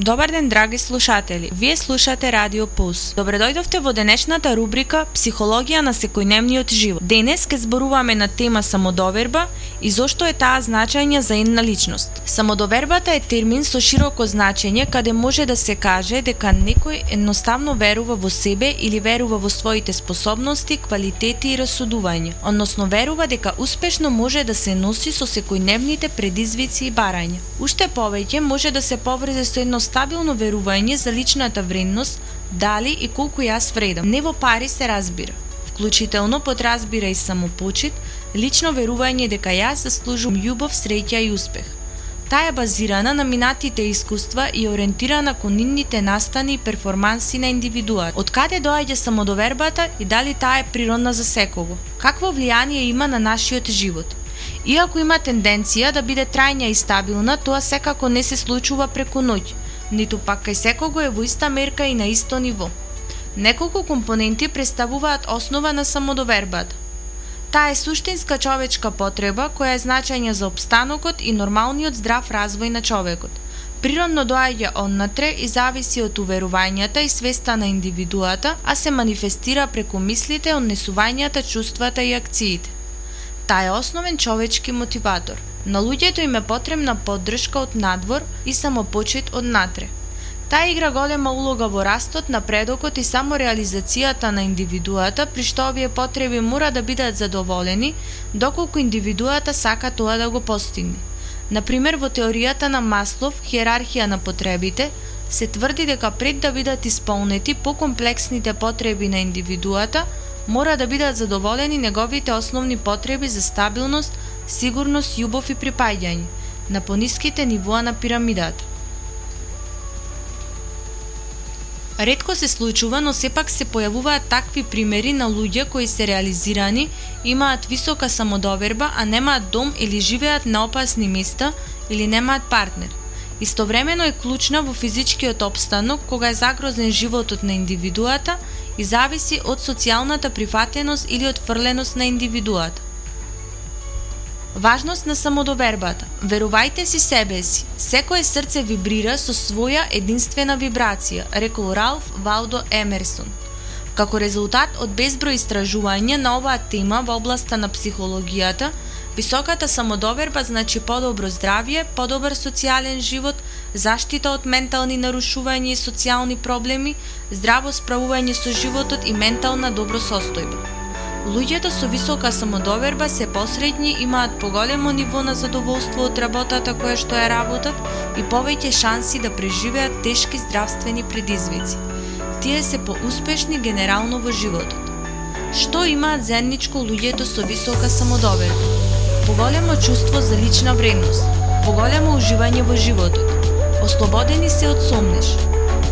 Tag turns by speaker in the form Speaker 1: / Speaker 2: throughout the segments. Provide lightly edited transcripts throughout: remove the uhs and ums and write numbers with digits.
Speaker 1: Добар ден, драги слушатели. Вие слушате Радио Пулс. Добре дојдовте во денешната рубрика Психологија на секојдневниот живот. Денес ќе зборуваме на тема самодоверба и зошто е таа значајна за една личност. Самодовербата е термин со широко значење каде може да се каже дека некој едноставно верува во себе или верува во своите способности, квалитети и расудување, односно верува дека успешно може да се носи со секојдневните предизвици и барања. Уште повеќе може да се поврзе со едно стабилно верување за личната вредност, дали и колку јас вредам. Не во пари се разбира. Вклучително подразбира и самопочит, лично верување дека јас заслужувам љубов, среќа и успех. Таа е базирана на минатите искуства и ориентирана кон нивните настани и перформанси на индивидуат. Од каде доаѓа самодовербата и дали таа е природна за секого? Какво влијание има на нашиот живот? Иако има тенденција да биде трајна и стабилна, тоа секако не се случува преку ноќ, ниту пак кај секого е во иста мерка и на исто ниво. Неколку компоненти представуваат основа на самодовербата. Таа е суштинска човечка потреба која е значајна за опстанокот и нормалниот здрав развој на човекот. Природно доаѓа однатре и зависи од уверувањата и свеста на индивидуата, а се манифестира преку мислите, однесувањата, чувствата и акциите. Таа е основен човечки мотиватор. На луѓето им е потребна поддршка од надвор и самопочит од натре. Таа игра голема улога во растот, напредокот и самореализацијата на индивидуата, при што овие потреби мора да бидат задоволени, доколку индивидуата сака тоа да го постигне. Например, во теоријата на Маслов, хиерархија на потребите, се тврди дека пред да бидат исполнети покомплексните потреби на индивидуата, мора да бидат задоволени неговите основни потреби за стабилност, сигурност, љубов и припаѓање, на пониските нивоа на пирамидата. Ретко се случува, но сепак се појавуваат такви примери на луѓе кои се реализирани, имаат висока самодоверба, а немаат дом или живеат на опасни места или немаат партнер. Истовремено е клучна во физичкиот опстанок кога е загрозен животот на индивидуата и зависи од социјалната прифатеност или отфрленост на индивидуата. Важност на самодовербата. Верувајте си себе си. Секое срце вибрира со своја единствена вибрација, рекол Ралф Валдо Емерсон. Како резултат од безброј истражувања на оваа тема во областа на психологијата, високата самодоверба значи подобро здравје, подобар социјален живот, заштита од ментални нарушувања и социјални проблеми, здраво справување со животот и ментална добросостојба. Луѓето со висока самодоверба се посредни, имаат поголемо ниво на задоволство од работата која што ја работат и повеќе шанси да преживеат тешки здравствени предизвици. Тие се поуспешни генерално во животот. Што имаат заедничко луѓето со висока самодоверба? Поголемо чувство за лична вредност, поголемо уживање во животот, ослободени се од сомнеш,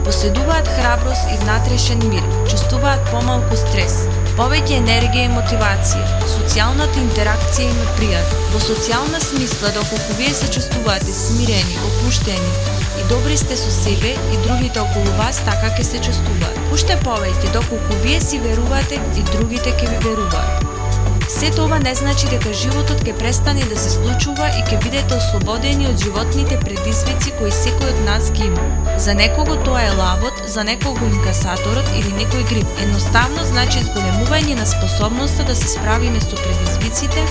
Speaker 1: поседуваат храброст и внатрешен мир, чувствуваат помалку стрес, повеќе енергија и мотивација, социјалната интеракција им е пријатна. Во социјална смисла, доколку вие се чувствувате смирени, опуштени и добри сте со себе и другите околу вас, така ќе се чувствуваат. Уште повеќе, доколку вие си верувате и другите ќе ви веруваат. Сето ова не значи дека животот ќе престане да се случува и ќе бидете ослободени од животните предизвици кои секој од нас ги има. За некого тоа е лавот, за некого инкасаторот или некој грип. Едноставно значи зголемување на способноста да се справиме со предизвиците,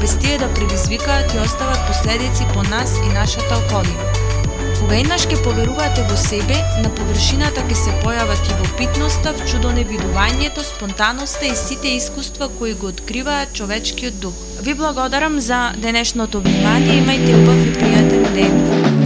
Speaker 1: без тие да предизвикаат и остават последици по нас и нашата околина. Кога еднаш ќе поверувате во себе, на површината ќе се појават и любопитноста, вчудоневидувањето, спонтаноста и сите искуства кои го откриваат човечкиот дух. Ви благодарам за денешното внимание, имајте убав и пријатен ден.